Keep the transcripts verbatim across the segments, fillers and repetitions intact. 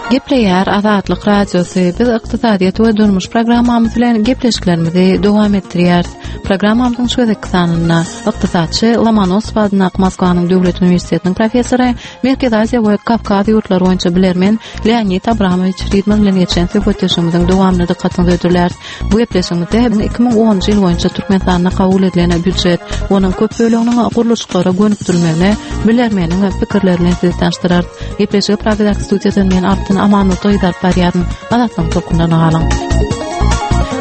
Gepleýär Azatlyk Radiosy. Biz ykdysadyýet we durmuş programmamyz bilen gepleşiklerimizi dowam etdirýäris. Programmamyzyň şu gezekki sanynda ykdysatçy Lomonosow adyndaky Moskwanyň Döwlet uniwersitetiniň professory, Merkezi Aziýa we Kawkaz ýurtlary boýunça bilermen Leonid Abramowiç Fridman bilen geçen söhbetdeşligimiziň dowamyny dykgatyňyza hödürläris. Bu gepleşigimizde iki müň onunjy ýyl boýunça Türkmenistanda kabul edilen býujet, onuň köp böleginiň gurluşyklara gönükdirilmegine bilermeniň pikirleri bilen sizi tanyşdyrarys. Gepleşigi Pragadaky studiýadan men Altyn Amanurdy alyp barýaryn. Azatlygyň tolkunlaryna galyň.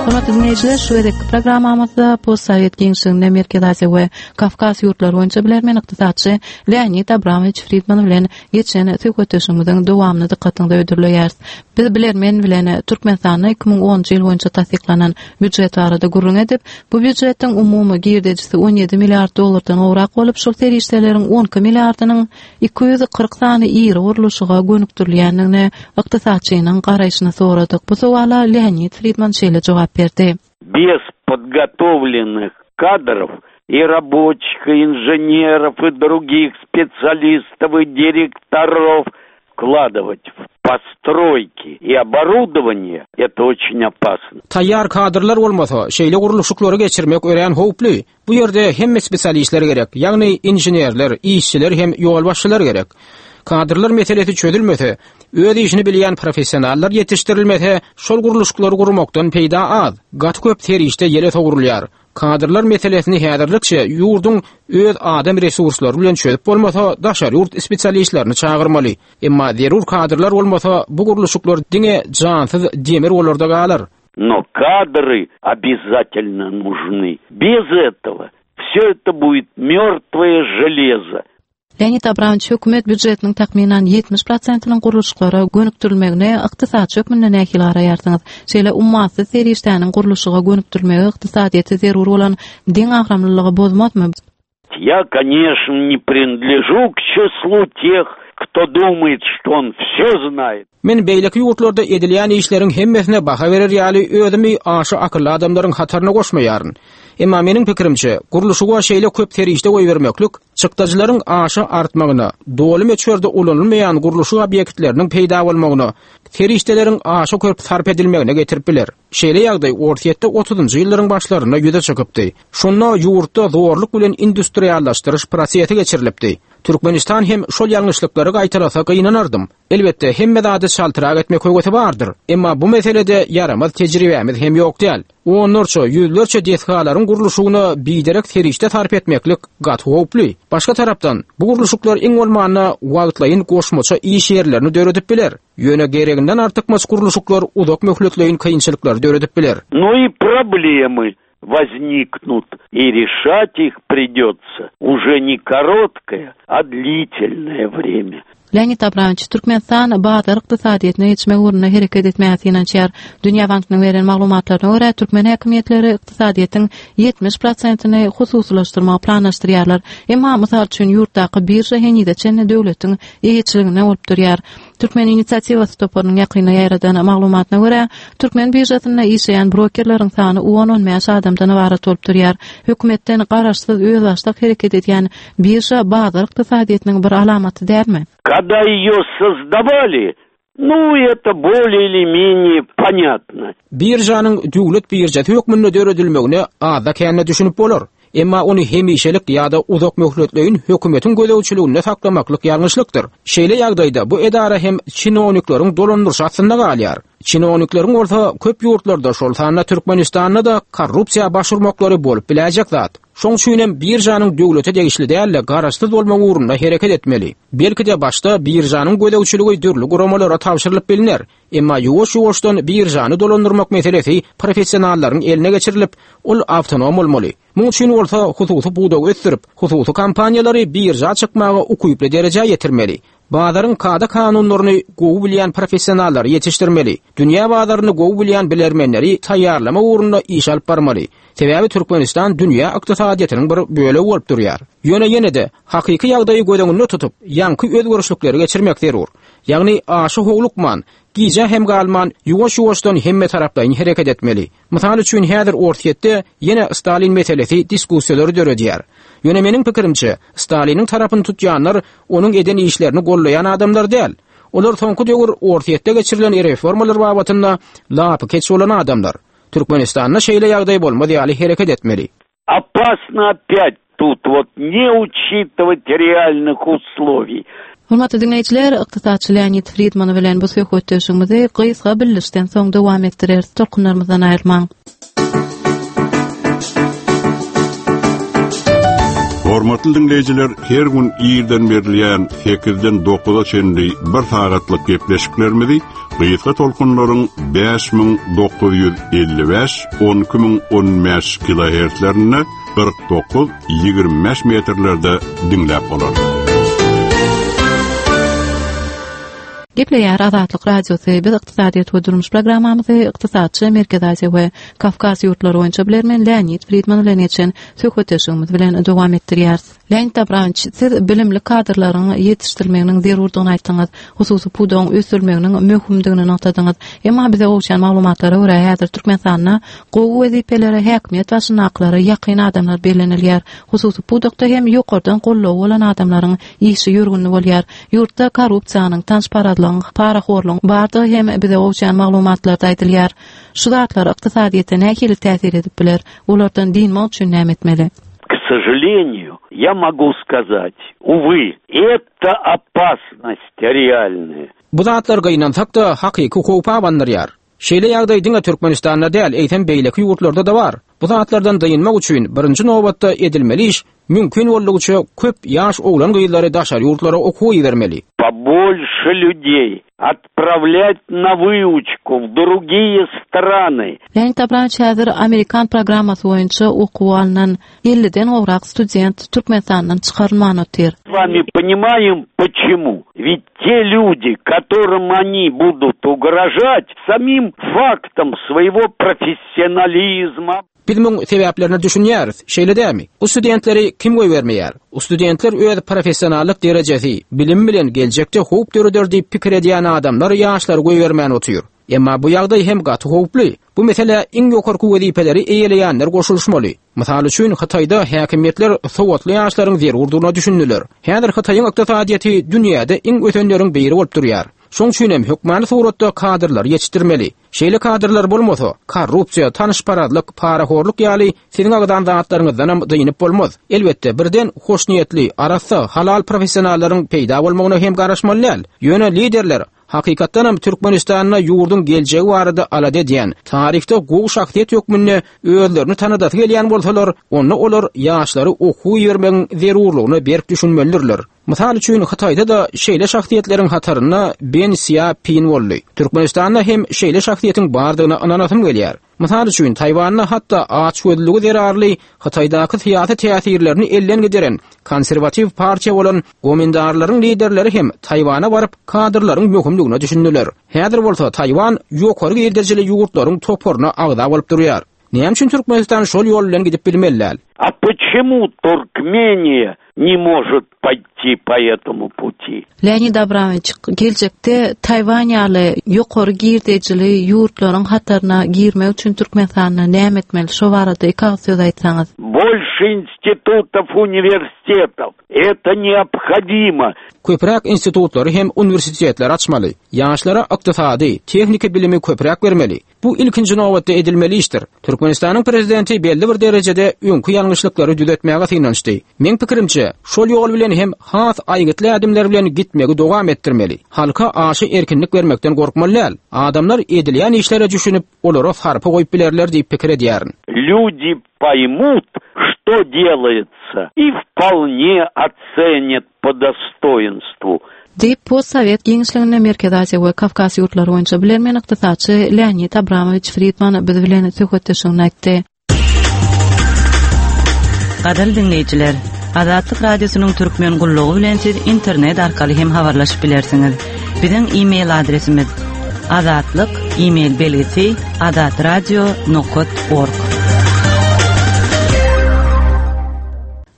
Hormatly dinleýjiler, şu gezekki programmamyzda postsowet giňişliginde Merkezi Aziýa we Kawkaz ýurtlary boýunça bilermen ykdysatçy Leonid Abramowiç Fridman bilen geçen söhbetdeşligimiziň dowamyny dykgatyňyza hödürleýäris. Biz bilermen bilen Türkmenistanda iki müň onunjy ýyl boýunça tassyklanan býujet barada gürrüň edip, bu býujetiň umumy girdejisi on ýedi milliard dollardan gowrak bolup, şol serişdeleriň on iki milliardynyň iki ýüz kyrk sany iri gurluşyga gönükdirilýändigini ykdysatçynyň garaýşyny soradyk. Bu sowala Leonid Fridman şeýle jogap berdi. Без подготовленных кадров и рабочих, и инженеров, и других специалистов, и директоров вкладывать в постройки и оборудование, это очень опасно. Taýýar kadrlar bolmasa, şeýle gurluşyklary geçirmek örän howply. Bu ýerde hemme spesialistler gerek, ýagny inženerler, işçiler hem ýolbaşçylar gerek. Kadrlar meselesi çözülmese, öz işini bilýän professionallar ýetişdirilmese, şol gurluşyklary gurmakdan peýda az. Gaty köp serişde ýere sowrulýar. Kadrlar meselesini häzirlikçe ýurduň öz adam resurslary bilen çözüp bolmasa, daşary ýurt spesialistlerini çagyrmaly. Emma zerur kadrlar bolmasa, bu gurluşyklar diňe jansyz demir bolarda galar. Но кадры обязательно нужны. Без этого все это будет мертвое железо. Leonid Abramowiç hökümet býujetiniň takmynan ýetmiş prosentiniň gurluşyklara gönükdirilmegine ykdysatçy hökmünde nähili garaýarsyňyz? Şeýle ummasyz serişdäniň gurluşyga gönükdirilmegi ykdysadyýete zerur bolan deň agramlylygy bozmazmy? Я, конечно, не принадлежу к числу тех, кто думает, что он все знает. Men beýleki ýurtlarda edilýän işleriň hemmesine baha berer ýaly özümi aşa akylly adamlaryň hataryna goşmaýaryn. Emma meniň pikirimçe, gurluşyga şeýle köp serişde goýbermeklik çykdajylaryň aşa artmagyna, doly möçberde ulanylmaýan gurluşyk obýektleriniň peýda bolmagyna, serişdeleriň aşa köp sarp edilmegine getirip biler. Şeýle ýagdaý Orsýetde otuzynjy ýyllaryň başlarynda ýüze çykypdy. Şonda ýurtda zorluk bilen industriallaşdyryş prosesi geçirilipdi. Türkmenistan hem şol ýalňyşlyklary gaýtalasa gynanardym. Elbetde hemme zady çaltyrak etmek höwesi bardyr. Emma bu meselede ýaramaz tejribemiz hem ýok däl. Onlarça, ýüzlerçe desgalaryň gurluşygyna biderek serişde sarp etmeklik gaty howply. Başga tarapdan bu gurluşyklar iň bolmanda wagtlaýyn goşmaça iş ýerlerini döredip biler. Ýöne gereginden artykmaç gurluşyklar uzak möhletleýin kynçylyklary döredip biler. Ну и проблемы возникнут, и решать их придется уже не короткое, а длительное время. Leonid Abramowiç, Türkmenistan bazar ykdysadyýetine geçmek ugrunda hereket etmäge synanyşýar. Dünýä Bankynyň beren maglumatlaryna görä, türkmen häkimiýetleri ykdysadyýetiň ýetmiş prosentini hususylaşdyrmagy planlaşdyrýarlar. Emma mysal üçin ýurtdaky birža henize çenli döwletiň eýeçiliginde bolup durýar. Türkmen inisiatiwasy toparynyň ýakynda ýaýradan maglumatyna görä, türkmen biržasynda işleýän brokerleriň sany on-on bäş adamdan ybarat bolup durýar. Hökümetden garaşsyz özbaşdak hereket edýän birža bazar ykdysadyýetiniň bir alamaty dälmi? Когда ее создавали, ну, это более или менее понятно. Birjanyň döwlet birjasy hökmünde döredilmegine azda kände düşünip bolar. Emma ony hemişelik ýa-da uzak möhletleýin hökümetiň gözegçiliginde saklamaklyk ýalňyşlykdyr. Şeýle ýagdaýda bu edara hem çinownikleriň dolandyryş astynda galýar. Çinownikleriň bolsa köp ýurtlarda, şol sanda Türkmenistanda da korrupsiýa başvurmaklary bolup biläjek zat. Şoň üçin hem birjanyň döwlete degişli däl-de garaşsyz bolmak ugrunda hereket etmeli. Belki-de başda birjanyň gözegçiligi dürli guramalara tabşyrylyp biliner. Emma ýuwaş-ýuwaşdan birjany dolandyrmak meselesi professionallaryň eline geçirilip, ol awtonom bolmaly. Muň üçin bolsa hususy pudagy ösdürip, hususy kompaniýalary birja çykmaga ukyply derejä ýetirmeli. Bazaryň kada kanunlaryny gowy bilýän professionallary ýetişdirmeli. Dünýä bazaryny gowy bilýän bilermenleri taýýarlama ugrunda iş alyp barmaly. Sebäbi Türkmenistan dünýä ykdysadyýetiniň bir bölegi bolup durýar. Ýöne ýene-de hakyky ýagdaýy göz öňünde tutup, ýaňky özgerişlikleri geçirmek zerur. Ýagny aşa howlukman, gije hem galman, ýuwaş-ýuwaşdan hemme taraplaýyn hereket etmeli. Mysal üçin häzir Orsýetde ýene Stalin meselesi diskussiýalary döredýär. Ýöne meniň pikirimçe, Staliniň tarapyny tutýanlar onuň eden işlerini gollaýan adamlar däl. Olar soňky döwür Orsýetde geçirilen reformalar babatynda lapy keç bolan adamlar. Türkmenistanda şeýle ýagdaý bolmaz ýaly hereket etmeli. Опасно опять тут вот не учитывать реальных условий. Hormatly dinleýjiler, ykdysatçy Leonid Friedman bilen bu söhbetdeşligimizi gysga bildirişden soň dowam etdireris. Tolkunlarymyzdan aýrylmaň. Hormatly dinleýjiler, her gün irden berilýän sekizden dokuza çenli bir sagatlyk gepleşiklerimizi gysga tolkunlaryň bäş müň dokuz ýüz elli bäş, on iki müň on bäş kilohertzlerinde kyrk dokuz, ýigrimi bäş metrlerde dinläp bolar. Gepleýär Azatlyk Radiosy, biz ykdysadyýet we durmuş programmamyzy ykdysatçy Merkezi Aziýa we Kawkaz ýurtlary boýunça bilermen Leonid Friedman bilen geçen söhbetdeşligimiz bilen dowam etdirýäris. Leonid Abramowiç, siz bilimli kadrlaryň ýetişdirilmeginiň zerurdygyny aýtdyňyz, hususy pudagyň ösdürilmeginiň möhümdigini nygtadyňyz. Emma bize gowşan maglumatlara görä häzir Türkmenistanda gowy wezipelere häkimiýet başyndakylara ýakyn adamlar bellenilýär. Hususy pudakda hem ýokardan gollowy bolan adamlaryň işi ýörgünli bolýar. Ýurtda korrupsiýanyň, tanyşparazlygyň, parahorlugyň bardygy hem bize gowşan maglumatlarda aýdylýar. Şu zatlar ykdysadyýete nähili täsir edip biler? Olardan dynmak üçin näme etmeli? К сожалению, я могу сказать, увы, это опасность реальная. Bu zatlar gynansak da hakyky howpa bandyrýar. Şeýle ýagdaý diňe Türkmenistanda däl, eýsem beýleki ýurtlarda da bar. Bu zatlardan dynmak üçin birinji nobatda edilmeli iş mümkin boldugyça köp ýaş oglan gyzlary daşary ýurtlara okuw ibermeli. Побольше людей отправлять на выучку в другие страны. Leonid Abramowiç häzir Amerikan programmasy boýunça okuw alnan elliden gowrak student Türkmenistandan çykarylman otyr. С вами понимаем почему. Ведь те люди, которым они будут угрожать, самим фактом своего профессионализма. Biz muň sebäplerini düşünýäris. Şeýle dämi? Bu studentleri kim goýbermeýär? Bu studentler öz professionallyk derejesi, bilim bilen geljekde howp döreder diýip pikir edýän adamlar ýaşlary goýbermän otyr. Emma bu ýagdaý hem gaty howply. Bu mesele iň ýokarky wezipeleri eýeleýänler goşulyşmaly. Mysal üçin Hytaýda häkimiýetler sowatly ýaşlaryň zerurdygyna düşündiler. Häzir Hytaýyň ykdysadyýeti dünýäde iň ösenleriň biri bolup durýar. Şoň üçin hem hökmany suratda kadrlar ýetişdirmeli. Şeýle kadrlar bolmasa, korrupsiýa, tanyşparazlyk, parahorluk ýaly siziň agdan zatlaryňyzdan hem dynyp bolmaz. Elbetde birden hoşniýetli, arassa, halal professionallaryň peýda bolmagyna hem garaşmaly däl. Ýöne liderler hakykatdan hem Türkmenistanda ýurduň geljegi barada alada edýän, taryhda gowy şahsyýet hökmünde özlerini tanadasy gelýän bolsalar, onda olar ýaşlary okuw ibermegiň zerurlygyna berk düşünmelidirler. Mysal üçin Hytaýda da şeýle şahsyýetleriň hatarynda Ben Xiaopin boldy. Türkmenistanda hem şeýle şahsyýetiň bardygyna ynanasym gelýär. Mysal üçin Taýwanda hatda açgözlügi zerarly Hytaýdaky syýasy täsirlerini elden gideren konserwatiw partiýa bolan Gomindarlaryň liderleri hem Taýwana baryp kadrlaryň möhümligine düşündiler. Häzir bolsa Taýwan ýokary girdejili ýurtlaryň toparyna agza bolup durýar. Näme üçin Türkmenistan şol ýol bilen gidip bilmeliler? А почему Туркмения не может пойти по этому пути? Leonid Abramoviç, geljekde Taýwan ýaly ýokary girdejili ýurtlaryň hataryna girmek üçin Türkmenistanda näme etmeli? Şo barada iki agyz söz aýtsaňyz. Больше институтов, университетов. Это необходимо. Köpräk institutlary hem uniwersitetler açmaly. Ýaşlara ykdysady, tehniki bilimi köpräk bermeli. Bu ilkinji nobatda edilmeli işdir. Türkmenistanyň prezidenti belli bir derejede öňkü ýalňyşlyklary düzetmäge synanyşdy. Meň pikirimçe, şol ýol bilen hem has aýgytly ädimler bilen gitmegi dowam etdirmeli. Halka aşy erkinlik bermekden gorkmaly däl. Adamlar edilýän işlere düşünip, olara sarpa goýup bilerler diýip pikir edýärin. Люди поймут, что делается, и вполне оценят по достоинству. Diýip, postsovet giňişliginde Merkezi Aziýa we Kawkaz ýurtlary boýunça bilermen ykdysatçy Leonid Abramoviç Friedman biz bilen söhbetdeşligini aýtdy. Gadyrly dinleýjiler, Azatlyk Radiosynyň Türkmen gullugy bilen siz internet arkaly hem habarlaşyp bilersiňiz. Biziň e-mail adresimiz azatlyk e-mail belgisi azatradio nokta org.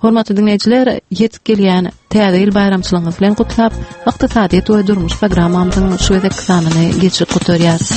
Hormatly dinleýjiler, ýetip gelýän Täze ýyl baýramçylygyňyz bilen gutlap, ykdysadyýet we durmuş programmamyzyň şu gezek sanyny geçirip gutarýarys.